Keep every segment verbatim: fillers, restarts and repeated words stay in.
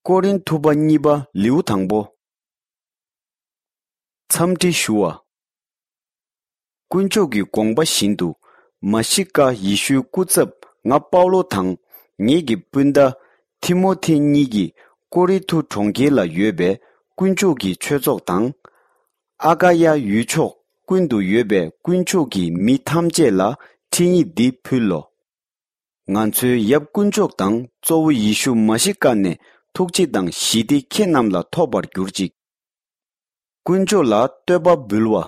ཀོ་རིན་ཐུ་པ་གཉིས་པ་ལེའུ་དང་པོ། འཚམས་འདྲི་ཞུ་བ། དཀོན་མཆོག་གི་དགོངས་པ་བཞིན་དུ། མ་ཤི་ཀ་ཡེ་ཤུའི་སྐུ་ཚབ་ང་པའུ་ལོ་དང་། ངེད་ཀྱི་སྤུན་ཟླ་ཐི་མོ་ཐེ་གཉིས་ཀྱིས་ཀོ་རི་ཐུ་གྲོང་ཁྱེར་ལ་ཡོད་པའི་དཀོན་མཆོག་གི་ཆོས་ཚོགས་དང་། ཨ་ཀ་ཡ་ཡུལ་ཕྱོགས་ཀུན་ཏུ་ཡོད་པའི་དཀོན་མཆོག་གི་མི་ཐམས་ཅད་ལ་འཕྲིན་ཡིག་འདི་ཕུལ་ལོ། ང་ཚོའི་ཡབ་དཀོན་མཆོག་དང་གཙོ་བོ་ཡེ་ཤུ་མ་ཤི་ཀ་ནས་ཐུགས་རྗེ་དང་ཞི་བདེ་ཁྱེད་རྣམས་ལ་ཐོབ་པར་གྱུར་ཅིག། དཀོན་མཆོག་ལ་བསྟོད་པ་འབུལ་བ།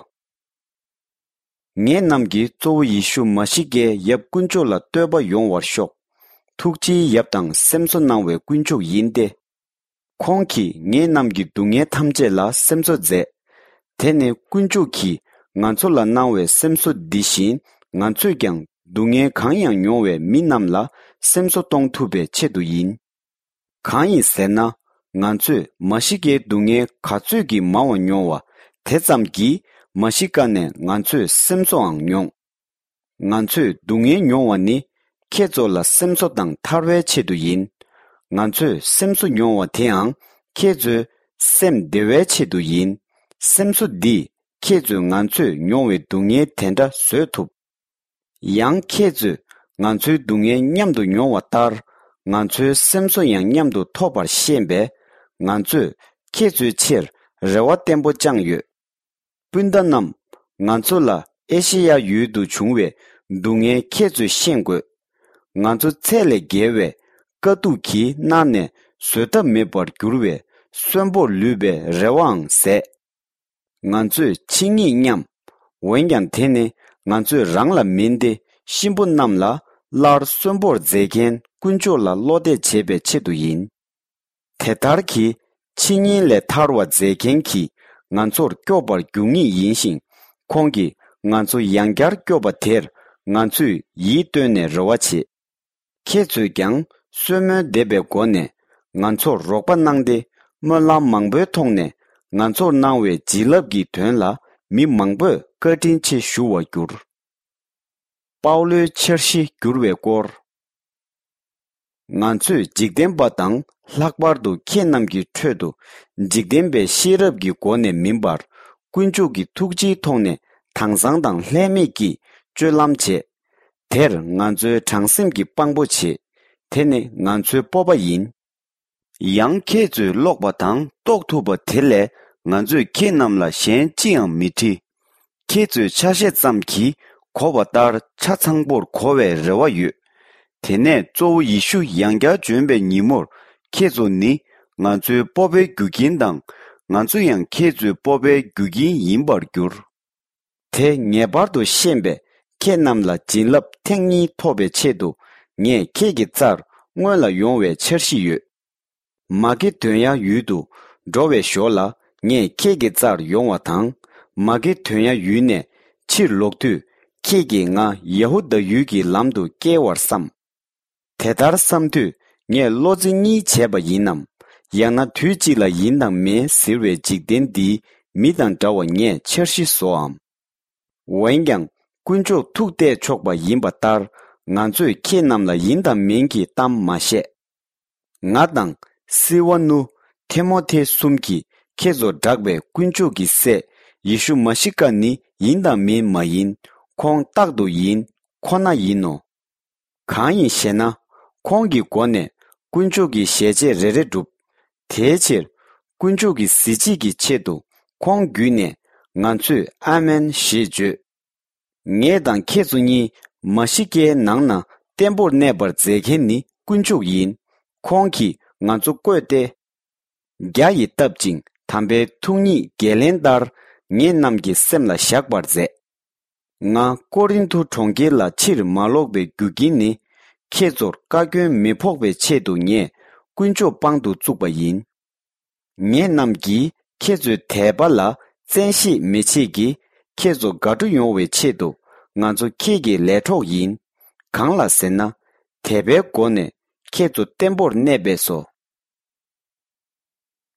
ངེད་རྣམས་ཀྱིས་གཙོ་བོ་ཡེ་ཤུ་མ་ཤི་ཀའི་ཡབ་དཀོན་མཆོག་ལ་བསྟོད་པ་ཡོང་བར་ཤོག། ཐུགས་རྗེའི་ཡབ་དང་སེམས་གསོ་གནང་བའི་དཀོན་མཆོག་ཡིན་ཏེ། ཁོང་གིས་ངེད་རྣམས་ཀྱི་སྡུག་བསྔལ་ཐམས་ཅད་ལ་སེམས་གསོ་མཛད། དེ་ནི་དཀོན་མཆོག་གིས་ང་ཚོ་ལ་གནང་བའི་སེམས་གསོ་འདི་བཞིན་ང་ཚོས་ཀྱང་སྡུག་བསྔལ་གང་ཡང་མྱོང་བའི་མི་རྣམས་ལ་སེམས་གསོ་གཏོང་ཐུབ་པའི་ཆེད་དུ་ཡིན། གང་ཡིན་ཟེར་ན། ང་ཚོས་མ་ཤི་ཀའི་སྡུག་བསྔལ་ག་ཚོད་ཀྱིས་མང་བ་མྱོང་བ་དེ་ཙམ་གྱིས་མ་ཤི་ཀ་ནས་ང་ཚོས་སེམས་གསོའང་མྱོང་། ང་ཚོས་སྡུག་བསྔལ་མྱོང་བ་ནི་ཁྱེད་ཚོ་ལ་སེམས་གསོ་དང་ཐར་བའི་ཆེད་དུ་ཡིན། ང་ཚོས་སེམས་གསོ་མྱོང་བ་དེའང་ཁྱེད་ཚོའི་སེམས་བདེ་བའི་ཆེད་དུ་ཡིན། སེམས་གསོ་འདིས་ཁྱེད་ཚོས་ང་ཚོས་མྱོང་བའི་སྡུག་བསྔལ་དེ་འདྲ་བཟོད་ཐུབ། ཡང་ཁྱེད་ཚོས་ང་ཚོའི་སྡུག་བསྔལ་མཉམ་དུ་མྱོང་བ་ལྟར། ང་ཚོའི་སེམས་གསོ་ཡང་མཉམ་དུ་ཐོབ་པར་ཤེས་པས། ང་ཚོས་ཁྱེད་ཚོའི་ཆེད་རེ་བ་བརྟན་པོ་བཅངས་ཡོད། སྤུན་ཟླ་རྣམས། ང་ཚོ་ལ་ཨེ་ཤེ་ཡ་ཡུལ་དུ་བྱུང་བའི་སྡུག་བསྔལ་ཁྱེད་ཚོས་ཤེས་དགོས། ང་ཚོ་ཚད་ལས་བརྒལ་བའི་དཀའ་སྡུག་གིས་མནར་ནས་བཟོད་ཐབས་མེད་པར་གྱུར་བའི་གསོན་པོར་ལུས་པའི་རེ་བའང་ཟད། ང་ཚོས་འཆི་ངེས་སྙམ། འོན་ཀྱང་དེ་ནི་ང་ཚོས་རང་ལ་མིན་ཏེ་གཤིན་པོ་རྣམས་ལ་སླར་གསོན་པོར་མཛད་མཁན་དཀོན་མཆོག་ལ་བློ་གཏད་བྱེད་པའི་ཆེད་དུ་ཡིན། དེ་ལྟར་གྱིས་འཆི་ཉེན་ལས་ཐར་བ་མཛད་མཁན་གྱིས་ང་ཚོར་སྐྱོབ་པར་འགྱུར་ངེས་ཡིན་ཞིང་། ཁོང་གིས་ང་ཚོ་ཡང་བསྐྱར་སྐྱོབ་པ་དེར་ང་ཚོས་ཡིད་གཏོད་ནས་རེ་བ་བྱེད། ཁྱེད་ཚོས་ཀྱང་གསོལ་སྨོན་འདེབས་པའི་སྒོ་ནས་ང་ཚོར་རོགས་པ་གནང་སྟེ། སྨོན་ལམ་མང་པོའི་ཐོག་ནས་ང་ཚོར་གནང་བའི་བྱིན་རླབས་ཀྱི་དོན་ལ་མི་མང་པོས་བཀའ་དྲིན་ཆེ་ཞུ་བར་འགྱུར། པའུ་ལོའི་འཆར་གཞི་བསྒྱུར་བའི་སྐོར། ང་ཚོས་འཇིག་རྟེན་པ་དང་ལྷག་པར་དུ་ཁྱེད་རྣམས་ཀྱི་ཁྲོད་དུ། འཇིག་རྟེན་པའི་ཤེས་རབ་ཀྱི་སྒོ་ནས་མིན་པར། དཀོན་མཆོག་གི་ཐུགས་རྗེའི་ཐོག་ནས་དྭངས་གཙང་དང་ལྷད་མེད་ཀྱིས་སྤྱོད་ལམ་བྱེད། དེར་ང་ཚོའི་དྲང་སེམས་ཀྱིས་དཔང་པོ་བྱེད། དེ་ནི་ང་ཚོའི་སྤོབས་པ་ཡིན། ཡང་ཁྱེད་ཚོས་ཀློག་པ་དང་རྟོགས་ཐུབ་པ་དེ་ལས་ང་ཚོས་ཁྱེད་རྣམས་ལ་གཞན་ཅི་ཡང་མི་འདྲི། ཁྱེད་ཚོས་ཆ་ཤས་ཙམ་གྱིས་གོ་བ་ལྟར་ཆ་ཚང་པོར་གོ་བའི་རེ་བ་ཡོད། དེ་ནས་གཙོ་བོ་ཡེ་ཤུ་ཡང་བསྐྱར་འབྱོན་པའི་ཉིན་མོར་ཁྱེད་ཚོ་ནི་ང་ཚོའི་སྤོབས་པའི་རྒྱུ་རྐྱེན་དང་། ང་ཚོ་ཡང་ཁྱེད་ཚོའི་སྤོབས་པའི་རྒྱུ་རྐྱེན་ཡིན་པར་འགྱུར། དེ་ངེས་པར་དུ་ཤེས་པས། ཁྱེད་རྣམས་ལ་བྱིན་རླབས་ཐེངས་གཉིས་ཐོབ་པའི་ཆེད་དུ། ངས་ཁྱེད་ཀྱི་རྩར་སྔོན་ལ་ཡོང་བའི་འཆར་གཞི་ཡོད། མ་ཀེ་དོན་ཡ་ཡུལ་དུ་འགྲོ་བའི་ཞོར་ལ། ངས་ཁྱེད་ཀྱི་རྩར་ཡོང་བ་དང་། མ་ཀེ་དོན་ཡ་ཡུལ་ནས་ཕྱིར་ལོག་དུས། ཁྱེད་ཀྱིས་ང་ཡ་ཧུ་དཱ་ཡུལ་གྱི་ལམ་དུ་བསྐྱལ་བར་བསམ། དེ་ལྟར་བསམ་དུས། ངས་བློ་རྩེ་གཉིས་བྱས་པ་ཡིན་ནམ། ཡང་ན་དུས་གཅིག་ལ་ཡིན་དང་མིན་ཟེར་བའི་འཇིག་རྟེན་འདིའི་མི་དང་འདྲ་བ་ངས་འཆར་གཞི་བཟོའམ། འོན་ཀྱང་། དཀོན་མཆོག་ཐུགས་གཏད་ཆོག་པ་ཡིན་པ་ལྟར། ང་ཚོས་ཁྱེད་རྣམས་ལ་ཡིན་དང་མིན་གྱི་གཏམ་མ་བཤད། ང་དང་། སི་ཝ་ནུ། ཐེ་མོ་ཐེ་གསུམ་གྱིས་ཁྱེད་ཚོར་བསྒྲགས་པའི་དཀོན་མཆོག་གི་སྲས་ཡེ་ཤུ་མ་ཤི་ཀ་ནི་ཡིན་དང་མིན་མ་ཡིན། ཁོང་རྟག་ཏུ་ཡིན། ཁོ་ན་ཡིན་ནོ། གང་ཡིན་ཞེ་ན། ཁོང་གི་སྒོ་ནས་དཀོན་མཆོག་གི་ཞལ་ཆད་རེ་རེ་འགྲུབ། དེའི་ཕྱིར། དཀོན་མཆོག་གི་གཟི་བརྗིད་ཀྱི་ཆེད་དུ་ཁོང་བརྒྱུད་ནས་ང་ཚོས་ཨ་མེན་ཞེས་བརྗོད། ངེད་དང་ཁྱེད་ཚོ་གཉིས་མ་ཤི་ཀའི་ནང་ན་བརྟན་པོར་གནས་པར་མཛད་མཁན་ནི་དཀོན་མཆོག་ཡིན། ཁོང་གིས་ང་ཚོ་བསྐོས་ཏེ། རྒྱ་ཡིས་བཏབ་ཅིང་དམ་པའི་ཐུགས་ཉིད་འགན་ལེན་ལྟར་ངེད་རྣམས་ཀྱི་སེམས་ལ་བཞག་པར་མཛད། ང་ཀོ་རིན་ཐུ་གྲོང་ཁྱེར་ལ་ཕྱིར་མ་ལོག་པའི་རྒྱུ་རྐྱེན་ནི། ཁྱེད་ཚོར་བཀའ་བཀྱོན་མི་ཕོག་པའི་ཆེད་དུ་ངས་དཀོན་མཆོག་དཔང་དུ་བཙུགས་པ་ཡིན། ངེད་རྣམས་ཀྱིས་ཁྱེད་ཚོའི་དད་པ་ལ་བཙན་ཤེད་མི་བྱེད་ཀྱི། ཁྱེད་ཚོ་དགའ་སྤྲོ་ཡོང་བའི་ཆེད་དུ་ང་ཚོ་ཁྱེད་ཀྱི་ལས་གྲོགས་ཡིན། གང་ལ་ཟེར་ན། དད་པའི་སྒོ་ནས་ཁྱེད་ཚོ་བརྟན་པོར་གནས་པས་སོ།